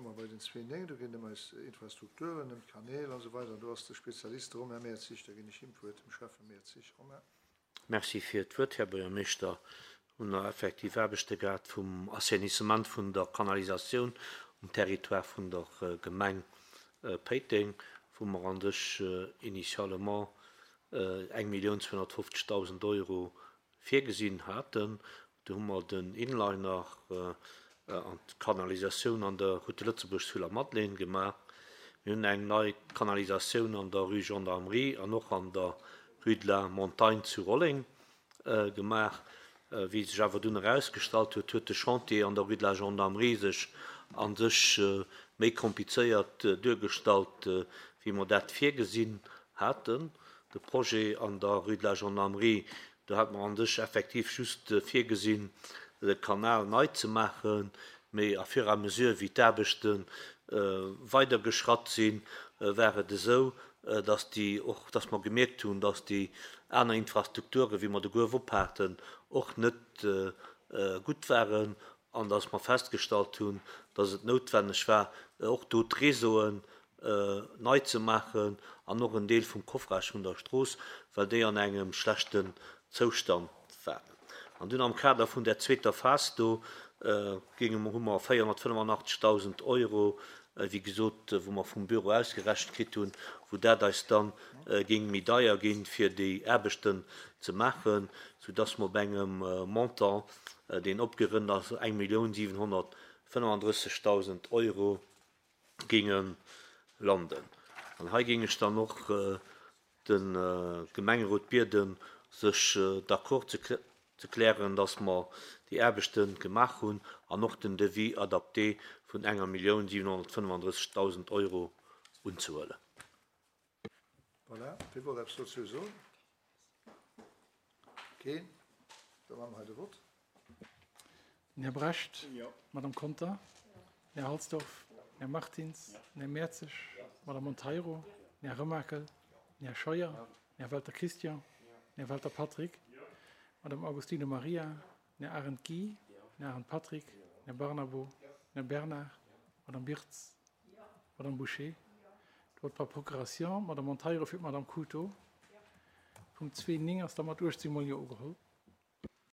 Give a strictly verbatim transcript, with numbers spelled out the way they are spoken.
Komme mer bei den zwee néng, do geet et ëm eis Infrastrukturen, ëm d'Kanäl an esou weider. Do ass de Spezialist, de Romain Mertzig. Da ginn ech him d'Wuert, dem Schäffe Mertzig. Romain. Merci fir d'Wuert, Här Buergermeeschter. Hunn der effektiv Aarbechte gehat vum Assainissement vun der Kanalisatioun um Territoire vun der Gemeng Péiteng, wou mer an sech initialement eng Millioun zweehonnertfofzegdausend Euro virgesinn haten. Do hu mer den Inliner an d'Kanalisatioun an der Route de Lëtzebuerg zu Lamadelaine gemaach. Mir hunn eng nei Kanalisatioun an der Rue Gendarmerie an och an der Rue de la Montagne zu Rolleng gemaach. Wéi sech awer dunn erausgestallt huet, huet de Chantier an der Rue de la Gendarmerie sech a sech méi komplizéiert duergestallt, wéi mer dat virgesinn haten. De Projet an der Rue de la Gendarmerie, do hate mer a sech effektiv just virgesinn, de Kanal nei ze maachen, mee à fur et à mesure, wéi d'Aarbechte weidergeschratt sinn, war et esou, dass déi och, dass mer gemierkt hunn, dass déi aner Infrastrukturen, wéi mer de Gruef ophaten, och net gutt waren an dass mer festgestallt hunn, dass et noutwenneg war, och do d'Réseauen nei ze maachen an och en Deel vum Coffrage vun der Strooss, well déi an engem schlechten Zoustand waren. An dunn am Kader vun där zweeter Phas do géinge mer, hu mer véierhonnertfënnefenachtzegdausend Euro, wéi gesot, wou mer vum Büro ausgerechent kritt hunn, wou dat eis dann géing méi deier ginn, fir déi Aarbechten ze maachen, soudass mer op engem Montant, deen opgerënnt ass, eng Millioun siwenhonnertfënnefandrëssegdausend Euro géinge landen. An hei géing ech dann och de Gemengerot bieden, sech d'accord ze ze klären, dass mer déi Aarbechte gemaach hunn an och den Devis adapté vun enger Millioun siwenhonnertfënnefandrëssegdausend Euro unzehuelen. Voilà, wie wollt eppes dozou soen? Keen? Da maache mer hei de Vott. Den Här Brecht. D'Madame Conter. Den Här Halsdorf. Den Här Martins. Den Här Mertzig. D'Madame Monteiro. Den Här Remakel. Den Här Scheuer. Den Här Welter Christian. Den Här Welter Patrick. D'Madame Agostino Maria. Den Här Arendt Guy. Den Här Arendt Patrick. Den Här Barnabo. Den Här Bernard. D'Madame Birtz. D'Madame Bouché. D'Vote par procuration, d'Madame Monteiro fir d'Madame Couto. Punkt zwee néng ass da mat uechtzéng mol Jo ugeholl.